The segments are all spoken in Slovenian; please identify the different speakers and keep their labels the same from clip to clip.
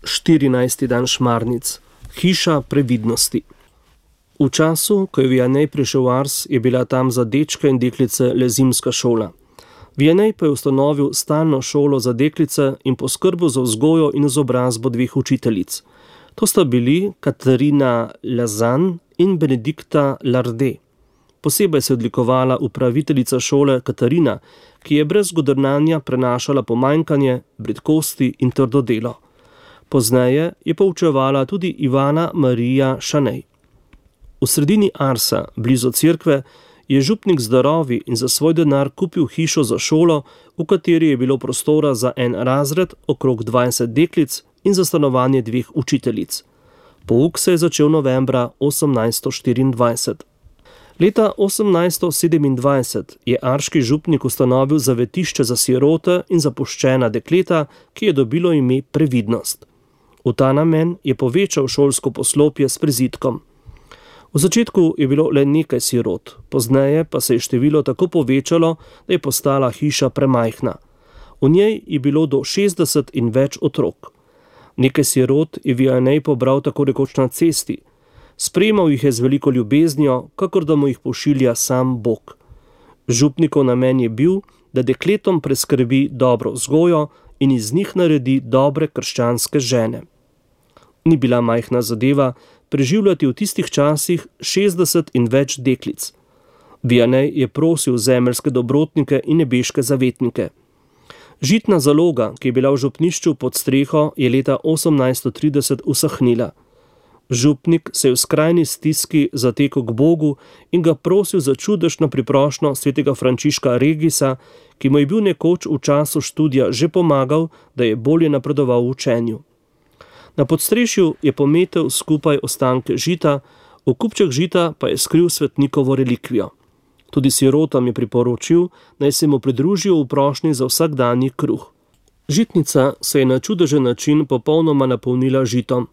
Speaker 1: 14. dan Šmarnic. Hiša previdnosti. V času, ko je Vianney prišel v Ars, je bila tam za dečke in deklice le zimska šola. Vianney pa je ustanovil stalno šolo za deklice in poskrbel za vzgojo in izobrazbo dveh učiteljic. To sta bili Katarina Lazan in Benedikta Larde. Posebej se je odlikovala upraviteljica šole Katarina, ki je brez godrnanja prenašala pomanjkanje, bridkosti in trdo delo. Pozneje je poučevala tudi Ivana Marija Šanej. V sredini Arsa, blizu cerkve, je župnik z darovi in za svoj denar kupil hišo za šolo, v kateri je bilo prostora za en razred, okrog 20 deklic in za stanovanje dveh učiteljic. Pouk se je začel novembra 1824. Leta 1827 je arški župnik ustanovil zavetišče za sirote in zapuščena dekleta, ki je dobilo ime Previdnost. V ta namen je povečal šolsko poslopje s prizidkom. V začetku je bilo le nekaj sirot, pozneje pa se je število tako povečalo, da je postala hiša premajhna. V njej je bilo do 60 in več otrok. Nekaj sirot je Vianney pobral tako rekoč na cesti. Sprejemal jih je z veliko ljubeznijo, kakor da mu jih pošilja sam Bog. Župnikov namen je bil, da dekletom preskrbi dobro vzgojo in iz njih naredi dobre krščanske žene. Ni bila majhna zadeva preživljati v tistih časih 60 in več deklic. Vianney je prosil zemeljske dobrotnike in nebeške zavetnike. Žitna zaloga, ki je bila v župnišču pod streho, je leta 1830 usahnila. Župnik se je v skrajni stiski zatekel k Bogu in ga prosil za čudežno priprošnjo svetega Frančiška Regisa, ki mu je bil nekoč v času študija že pomagal, da je bolje napredoval v učenju. Na podstrešju je pometel skupaj ostanke žita, v kupček žita pa je skril svetnikovo relikvijo. Tudi sirotam je priporočil, naj se mu pridružijo v prošnji za vsakdanji kruh. Žitnica se je na čudežen način popolnoma napolnila žitom.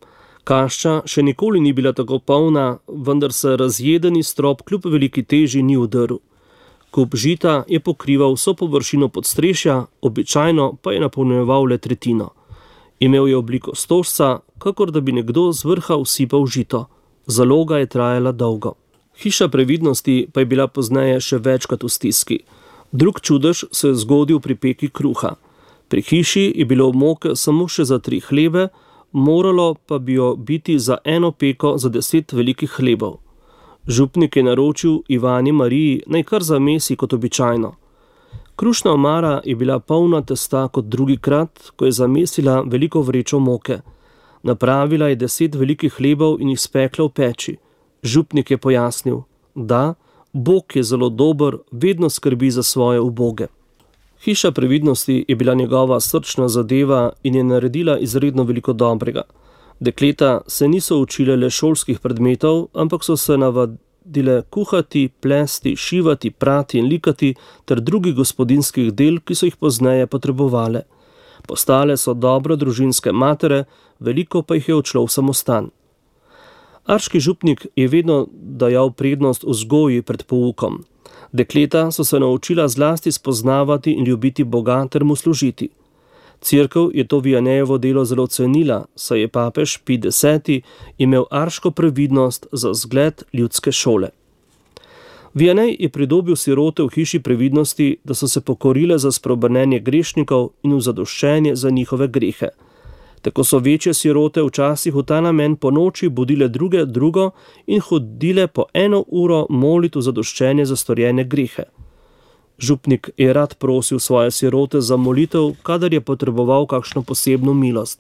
Speaker 1: Kašča še nikoli ni bila tako polna, vendar se razjedeni strop kljub veliki teži ni udrl. Kup žita je pokrival vso površino podstrešja, običajno pa je napolnjeval le tretjino. Imel je obliko stožca, kakor da bi nekdo z vrha usipal žito. Zaloga je trajala dolgo. Hiša previdnosti pa je bila pozneje še večkrat v stiski. Drug čudež se je zgodil pri peki kruha. Pri hiši je bilo moke samo še za 3 hlebe, moralo pa bi jo biti za eno peko za 10 velikih hlebov. Župnik je naročil Ivani Mariji naj kar zamesi kot običajno. Krušna omara je bila polna testa kot drugikrat, ko je zamesila veliko vrečo moke. Napravila je 10 velikih hlebov in jih spekla v peči. Župnik je pojasnil, da Bog je zelo dober, vedno skrbi za svoje uboge. Hiša previdnosti je bila njegova srčna zadeva in je naredila izredno veliko dobrega. Dekleta se niso učile le šolskih predmetov, ampak so se navadile kuhati, plesti, šivati, prati in likati ter drugih gospodinjskih del, ki so jih pozneje potrebovale. Postale so dobro družinske matere, veliko pa jih je odšlo v samostan. Arški župnik je vedno dajal prednost vzgoji pred poukom. Dekleta so se naučila zlasti spoznavati in ljubiti Boga ter mu služiti. Cerkev je to Vianneyovo delo zelo cenila, saj je papež Pij X imel arško previdnost za zgled ljudske šole. Vianney je pridobil sirote v hiši previdnosti, da so se pokorile za spreobrnenje grešnikov in v zadoščenje za njihove grehe. Tako so večje sirote včasih v ta namen po noči budile drugo in hodile po 1 uro moliti v zadoščenje za storjene grehe. Župnik je rad prosil svoje sirote za molitev, kadar je potreboval kakšno posebno milost.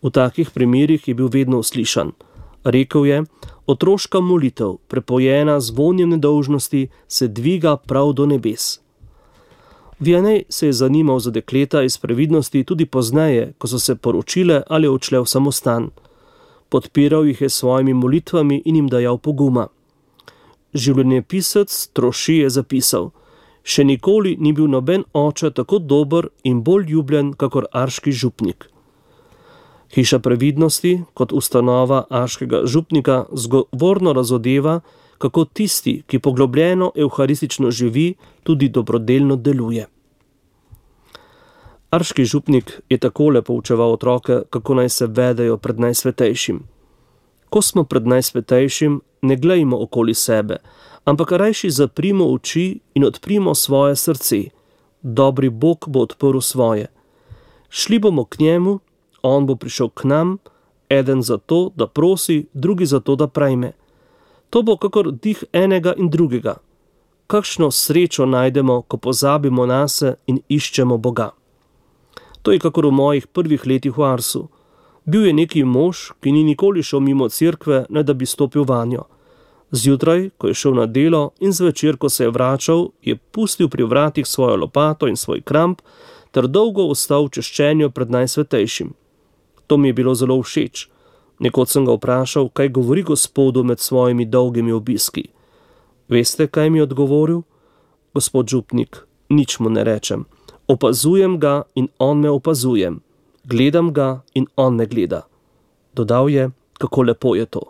Speaker 1: V takih primerih je bil vedno uslišan. Rekel je, otroška molitev, prepojena z vonjem nedolžnosti, se dviga prav do nebes. Vianney se je zanimal za dekleta iz previdnosti tudi pozneje, ko so se poročile ali odšle v samostan. Podpiral jih je s svojimi molitvami in jim dajal poguma. Življenjepisec Troši je zapisal, še nikoli ni bil noben oče tako dober in bolj ljubljen kakor arški župnik. Hiša previdnosti kot ustanova arškega župnika zgovorno razodeva, kako tisti, ki poglobljeno evharistično živi, tudi dobrodelno deluje. Arški župnik je takole poučeval otroke, kako naj se vedejo pred Najsvetejšim. Ko smo pred Najsvetejšim, ne glejmo okoli sebe, ampak rajši zaprimo oči in odprimo svoje srce. Dobri Bog bo odprl svoje. Šli bomo k njemu, on bo prišel k nam, eden zato, da prosi, drugi zato, da prejme. To bo kakor dih enega in drugega. Kakšno srečo najdemo, ko pozabimo nase in iščemo Boga. To je kakor v mojih prvih letih v Arsu. Bil je neki mož, ki ni nikoli šel mimo cerkve, ne da bi stopil vanjo. Zjutraj, ko je šel na delo, in zvečer, ko se je vračal, je pustil pri vratih svojo lopato in svoj kramp, ter dolgo ostal v češčenju pred Najsvetejšim. To mi je bilo zelo všeč. Nekoč sem ga vprašal, kaj govori Gospodu med svojimi dolgimi obiski. Veste, kaj mi je odgovoril? Gospod župnik, nič mu ne rečem. Opazujem ga in on me opazuje. Gledam ga in on me gleda. Dodal je, kako lepo je to.